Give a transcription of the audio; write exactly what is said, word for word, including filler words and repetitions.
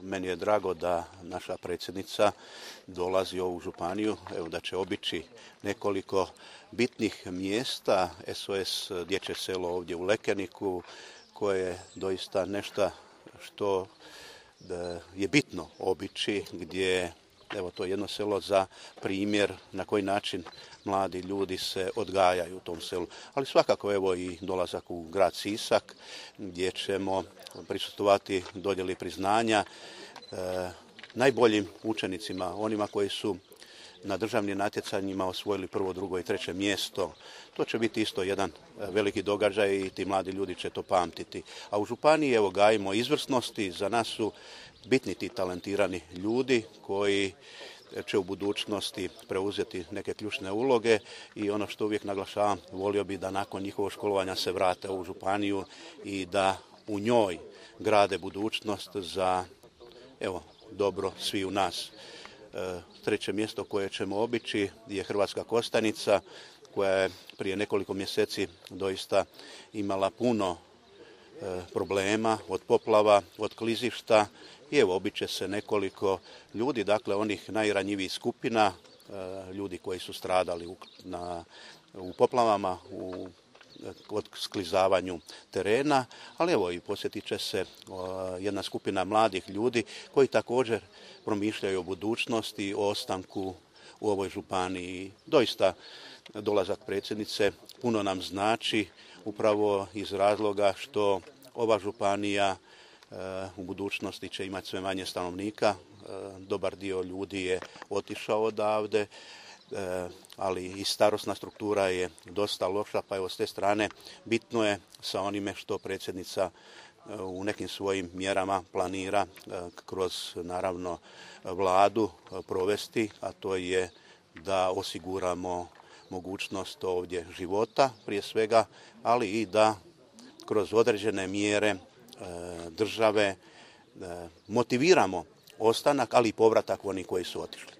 meni je drago da naša predsjednica dolazi u ovu županiju, evo da će obići nekoliko bitnih mjesta, S O S dječje selo ovdje u Lekeniku, koje je doista nešto što je bitno obići, gdje evo to je jedno selo za primjer na koji način mladi ljudi se odgajaju u tom selu. Ali svakako evo i dolazak u grad Sisak gdje ćemo prisustvovati dodjeli priznanja e, najboljim učenicima, onima koji su na državnim natjecanjima osvojili prvo, drugo i treće mjesto. To će biti isto jedan veliki događaj i ti mladi ljudi će to pamtiti. A u županiji evo gajimo izvrsnosti, za nas su bitni ti talentirani ljudi koji će u budućnosti preuzeti neke ključne uloge i ono što uvijek naglašavam, volio bi da nakon njihovog školovanja se vrate u županiju i da u njoj grade budućnost za evo dobro svi u nas. E, treće mjesto koje ćemo obići je Hrvatska Kostajnica koja je prije nekoliko mjeseci doista imala puno e, problema od poplava, od klizišta i evo obiće se nekoliko ljudi, dakle onih najranjivijih skupina, e, ljudi koji su stradali u, na, u poplavama, u od sklizavanju terena, ali evo i posjetit će se jedna skupina mladih ljudi koji također promišljaju o budućnosti, o ostanku u ovoj županiji. Doista dolazak predsjednice puno nam znači upravo iz razloga što ova županija u budućnosti će imati sve manje stanovnika. Dobar dio ljudi je otišao odavde, ali i starosna struktura je dosta loša, pa evo s te strane bitno je sa onime što predsjednica u nekim svojim mjerama planira kroz naravno vladu provesti, a to je da osiguramo mogućnost ovdje života prije svega, ali i da kroz određene mjere države motiviramo ostanak, ali i povratak onih koji su otišli.